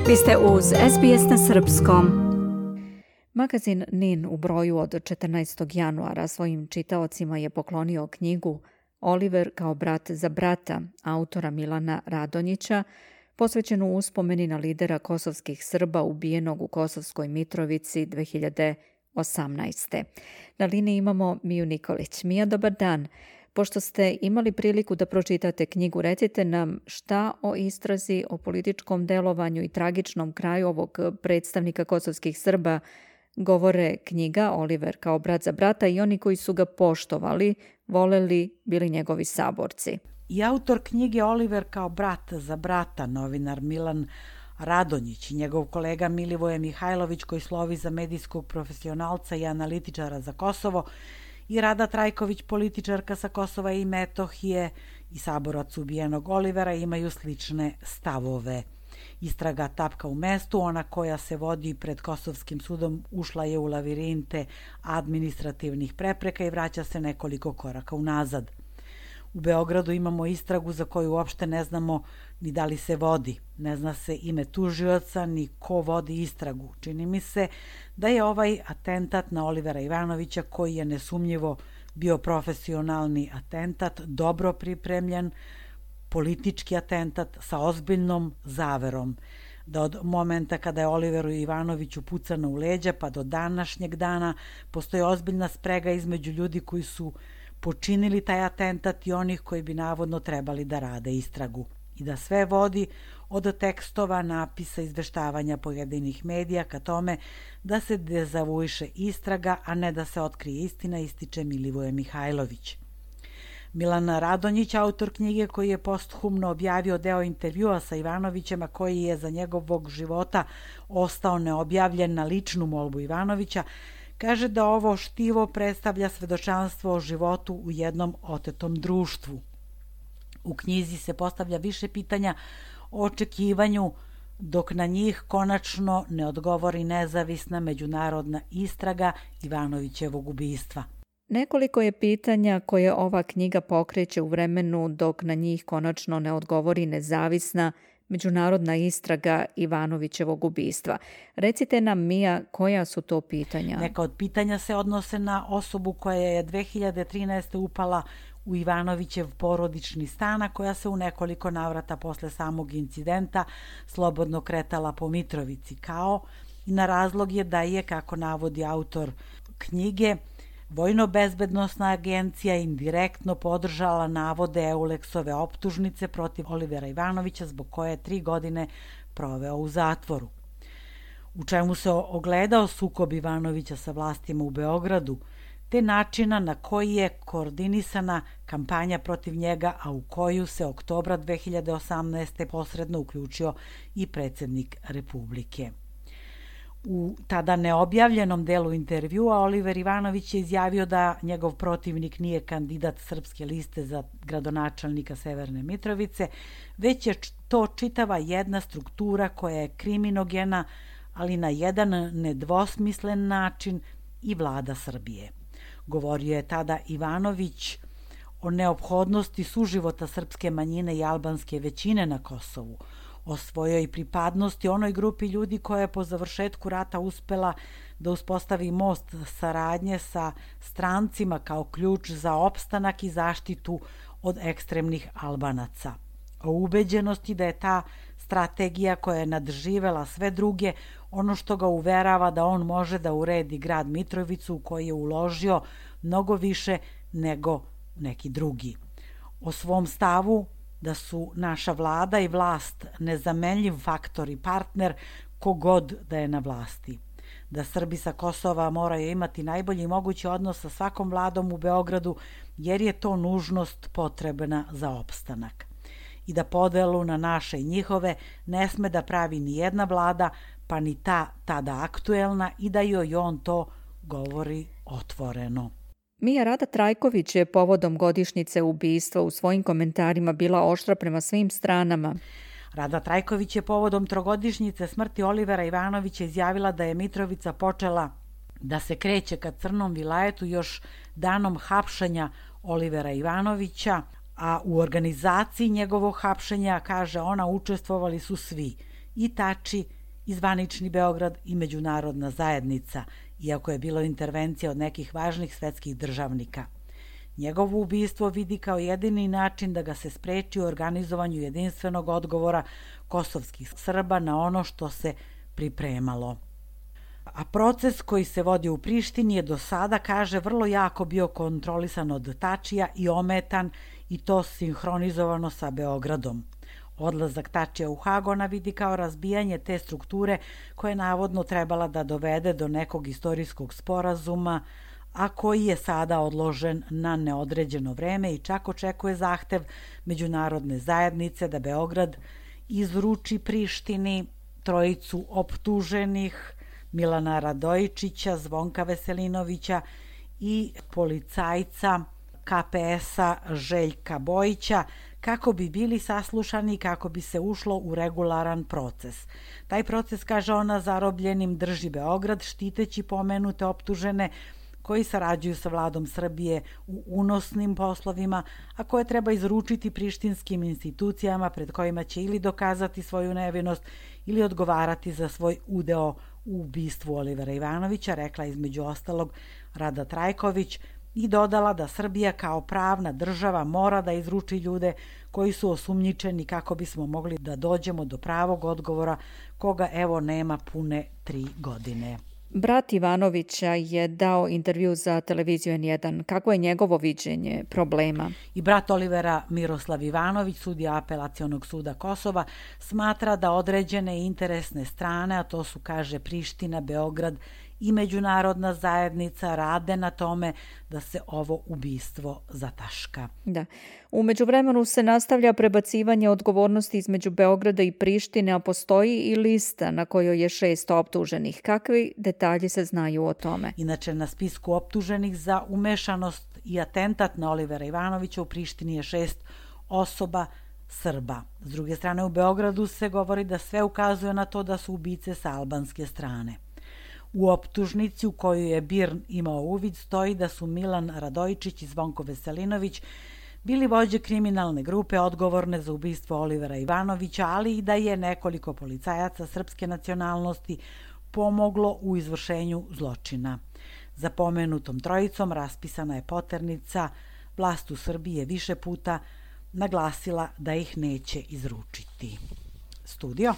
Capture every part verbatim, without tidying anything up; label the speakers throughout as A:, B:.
A: Vi ste uz S B S na srpskom. Magazin N I N u broju od četrnaestog januara svojim čitaocima je poklonio knjigu Oliver kao brat za brata autora Milana Radonjića, posvećenu uspomeni na lidera kosovskih Srba ubijenog u Kosovskoj Mitrovici dve hiljade osamnaeste. Na liniji imamo Miju Nikolić. Mija, dobar dan. Pošto ste imali priliku da pročitate knjigu, recite nam šta o istrazi, o političkom delovanju i tragičnom kraju ovog predstavnika kosovskih Srba govore knjiga Oliver kao brat za brata i oni koji su ga poštovali, voleli, bili njegovi saborci.
B: I autor knjige Oliver kao brat za brata, novinar Milan Radonjić i njegov kolega Milivoje Mihajlović, koji slovi za medijskog profesionalca i analitičara za Kosovo, i Rada Trajković, političarka sa Kosova i Metohije i saborac ubijenog Olivera, imaju slične stavove. Istraga tapka u mestu, ona koja se vodi pred Kosovskim sudom, ušla je u lavirinte administrativnih prepreka i vraća se nekoliko koraka unazad. U Beogradu imamo istragu za koju uopšte ne znamo ni da li se vodi. Ne zna se ime tužioca ni ko vodi istragu. Čini mi se da je ovaj atentat na Olivera Ivanovića, koji je nesumnjivo bio profesionalni atentat, dobro pripremljen, politički atentat sa ozbiljnom zaverom. Da od momenta kada je Oliveru Ivanoviću pucano u leđa pa do današnjeg dana postoji ozbiljna sprega između ljudi koji su počinili taj atentat i onih koji bi navodno trebali da rade istragu. I da sve vodi od tekstova, napisa, izveštavanja pojedinih medija ka tome da se dezavuiše istraga, a ne da se otkrije istina, ističe Milivoje Mihajlović. Milan Radonjić, autor knjige koji je posthumno objavio deo intervjua sa Ivanovićem, a koji je za njegovog života ostao neobjavljen na ličnu molbu Ivanovića, kaže da ovo štivo predstavlja svedočanstvo o životu u jednom otetom društvu. U knjizi se postavlja više pitanja o očekivanju, dok na njih konačno ne odgovori nezavisna međunarodna istraga Ivanovićevog ubistva.
A: Nekoliko je pitanja koje ova knjiga pokreće u vremenu dok na njih konačno ne odgovori nezavisna međunarodna istraga Ivanovićevog ubistva. Recite nam, Mija, koja su to pitanja?
B: Neka od pitanja se odnose na osobu koja je dve hiljade trinaeste. upala u Ivanovićev porodični stan, a koja se u nekoliko navrata posle samog incidenta slobodno kretala po Mitrovici, kao i na razlog je da je, kako navodi autor knjige, Vojno-bezbednosna agencija indirektno podržala navode Eulexove optužnice protiv Olivera Ivanovića, zbog koje je tri godine proveo u zatvoru. U čemu se ogledao sukob Ivanovića sa vlastima u Beogradu, te načina na koji je koordinisana kampanja protiv njega, a u koju se oktobra dve hiljade osamnaeste. posredno uključio i predsjednik Republike. U tada neobjavljenom delu intervjua Oliver Ivanović je izjavio da njegov protivnik nije kandidat Srpske liste za gradonačelnika Severne Mitrovice, već je to čitava jedna struktura koja je kriminogena, ali na jedan nedvosmislen način i vlada Srbije. Govorio je tada Ivanović o neophodnosti suživota srpske manjine i albanske većine na Kosovu, o svojoj pripadnosti onoj grupi ljudi koja je po završetku rata uspela da uspostavi most saradnje sa strancima kao ključ za opstanak i zaštitu od ekstremnih Albanaca. O ubeđenosti da je ta strategija koja je nadživela sve druge ono što ga uverava da on može da uredi grad Mitrovicu u koji je uložio mnogo više nego neki drugi. O svom stavu da su naša vlada i vlast nezamenljiv faktor i partner kogod da je na vlasti. Da Srbi sa Kosova moraju imati najbolji mogući odnos sa svakom vladom u Beogradu, jer je to nužnost potrebna za opstanak. I da podelu na naše i njihove ne sme da pravi ni jedna vlada, pa ni ta tada aktuelna, i da joj on to govori otvoreno.
A: Mija, Rada Trajković je povodom godišnjice ubistva u svojim komentarima bila oštra prema svim stranama.
B: Rada Trajković je povodom trogodišnjice smrti Olivera Ivanovića izjavila da je Mitrovica počela da se kreće ka Crnom vilajetu još danom hapšenja Olivera Ivanovića, a u organizaciji njegovog hapšenja, kaže ona, učestvovali su svi, i Tači, i zvanični Beograd i međunarodna zajednica, iako je bilo intervencija od nekih važnih svetskih državnika. Njegovo ubistvo vidi kao jedini način da ga se spreči u organizovanju jedinstvenog odgovora kosovskih Srba na ono što se pripremalo. A proces koji se vodi u Prištini je do sada, kaže, vrlo jako bio kontrolisan od Tačija i ometan i to sinhronizovano sa Beogradom. Odlazak Tačija u Hag ona vidi kao razbijanje te strukture koja je navodno trebala da dovede do nekog istorijskog sporazuma, a koji je sada odložen na neodređeno vreme i čak očekuje zahtev međunarodne zajednice da Beograd izruči Prištini trojicu optuženih, Milana Radojičića, Zvonka Veselinovića i policajca K P S-a Željka Bojića, kako bi bili saslušani i kako bi se ušlo u regularan proces. Taj proces, kaže ona, zarobljenim drži Beograd, štiteći pomenute optužene koji sarađuju sa vladom Srbije u unosnim poslovima, a koje treba izručiti prištinskim institucijama pred kojima će ili dokazati svoju nevinost ili odgovarati za svoj udeo u ubistvu Olivera Ivanovića, rekla između ostalog Rada Trajković, i dodala da Srbija kao pravna država mora da izruči ljude koji su osumnjičeni kako bismo mogli da dođemo do pravog odgovora, koga evo nema pune tri godine.
A: Brat Ivanovića je dao intervju za televiziju en jedan. Kako je njegovo viđenje problema?
B: I brat Olivera, Miroslav Ivanović, sudija Apelacionog suda Kosova, smatra da određene interesne strane, a to su, kaže, Priština, Beograd i međunarodna zajednica, rade na tome da se ovo ubistvo zataška.
A: Da. U međuvremenu se nastavlja prebacivanje odgovornosti između Beograda i Prištine, a postoji i lista na kojoj je šest optuženih. Kakvi detalji se znaju o tome?
B: Inače, na spisku optuženih za umešanost i atentat na Olivera Ivanovića u Prištini je šest osoba Srba. S druge strane, u Beogradu se govori da sve ukazuje na to da su ubice sa albanske strane. U optužnici u koju je B I R N imao uvid stoji da su Milan Radojičić i Zvonko Veselinović bili vođe kriminalne grupe odgovorne za ubistvo Olivera Ivanovića, ali i da je nekoliko policajaca srpske nacionalnosti pomoglo u izvršenju zločina. Za pomenutom trojicom raspisana je poternica, vlast u Srbiji je više puta naglasila da ih neće izručiti. Studio.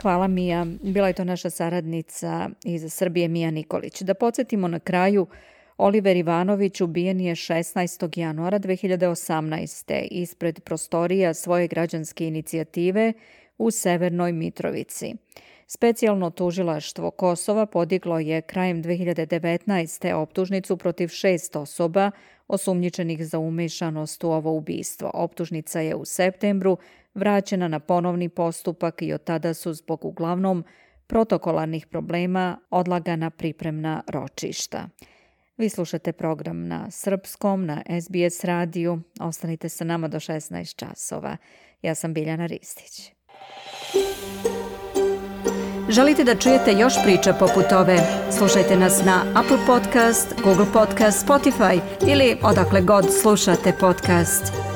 A: Hvala, Mija. Bila je to naša saradnica iz Srbije, Mija Nikolić. Da podsjetimo na kraju, Oliver Ivanović ubijen je šesnaestog januara dve hiljade osamnaeste. ispred prostorija svoje građanske inicijative u Severnoj Mitrovici. Specijalno tužilaštvo Kosova podiglo je krajem dve hiljade devetnaeste. optužnicu protiv šest osoba osumnjičenih za umešanost u ovo ubistvo. Optužnica je u septembru vraćena na ponovni postupak i od tada su zbog uglavnom protokolarnih problema odlagana pripremna ročišta. Vi slušate program na srpskom, na S B S radiju. Ostanite sa nama do šesnaest časova. Ja sam Biljana Ristić. Želite da čujete još priča poput ove? Slušajte nas na Apple Podcast, Google Podcast, Spotify ili odakle god slušate podcast.